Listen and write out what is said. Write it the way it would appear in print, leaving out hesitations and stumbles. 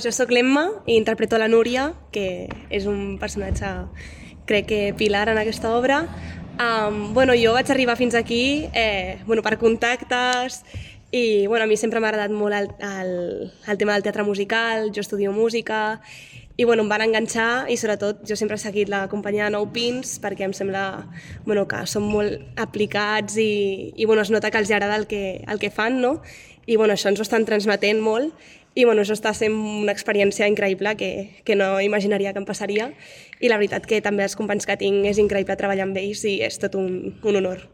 Jo sóc l'Emma i interpreto la Núria, que és un personatge, crec que pilar en aquesta obra. Jo vaig arribar fins aquí per contactes i a mi sempre m'ha agradat molt el tema del teatre musical, jo estudio música i em van enganxar i sobretot jo sempre he seguit la companyia de Nou Pins perquè em sembla que són molt aplicats i es nota que els agrada el que fan, no? I això ens ho estan transmetent molt i això està sent una experiència increïble que no imaginaria que em passaria i la veritat que també els companys que tinc és increïble treballar amb ells i és tot un honor.